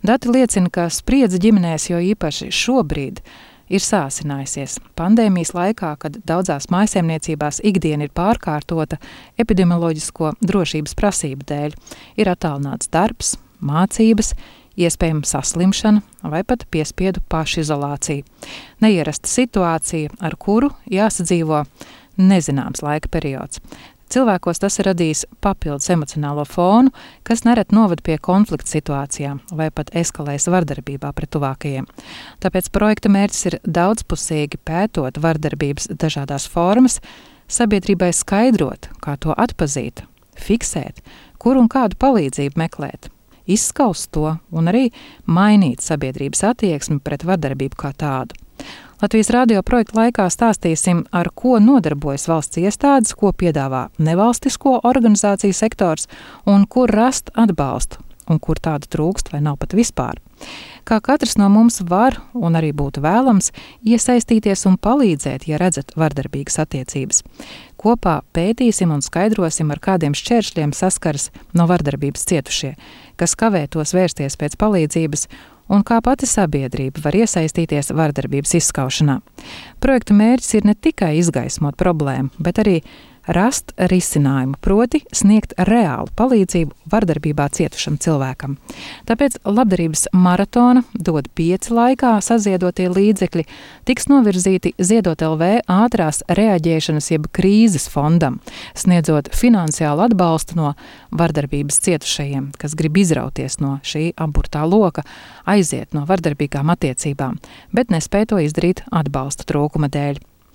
Dati liecina, ka spriedze ģimenēs jo īpaši šobrīd ir sāsinājusies. Pandēmijas laikā, kad daudzās mājsaimniecībās ikdiena ir pārkārtota epidemioloģisko drošības prasību dēļ, ir attālināts darbs, mācības, iespējama saslimšana vai pat piespiedu pašizolācija. Neierasta situācija, ar kuru jāsadzīvo nezināms laika periods. Cilvēkos tas ir radījis papildus emocionālo fonu, kas nereti noved pie konflikta situācijām vai pat eskalējas vardarbībā pret tuvākajiem. Tāpēc projekta mērķis ir daudzpusīgi pētot vardarbības dažādās formas, sabiedrībai skaidrot, kā to atpazīt, fiksēt, kur un kādu palīdzību meklēt, izskaust to un arī mainīt sabiedrības attieksmi pret vardarbību kā tādu. Latvijas radio projekta laikā stāstīsim, ar ko nodarbojas valsts iestādes, ko piedāvā nevalstisko organizāciju sektors un kur rast atbalstu un kur tādu trūkst vai nav pat vispār. Kā katrs no mums var un arī būtu vēlams iesaistīties un palīdzēt, ja redzat vardarbīgas attiecības. Kopā pētīsim un skaidrosim, ar kādiem šķēršļiem saskaras no vardarbības cietušie, kas kavē tos vērsties pēc palīdzības un kā pati sabiedrība var iesaistīties vardarbības izskaušanā. Projekta mērķis ir ne tikai izgaismot problēmu, bet arī rast risinājumu, proti sniegt reālu palīdzību vardarbībā cietušam cilvēkam. Tāpēc labdarības maratona dod 5 laikā saziedotie līdzekļi tiks novirzīti Ziedot LV ātrās reaģēšanas jeb krīzes fondam, sniedzot finansiālu atbalstu no vardarbības cietušajiem, kas grib izrauties no šī aburtā loka, aiziet no vardarbīgām attiecībām, bet nespēj to izdarīt atbalsta trūkuma dēļ.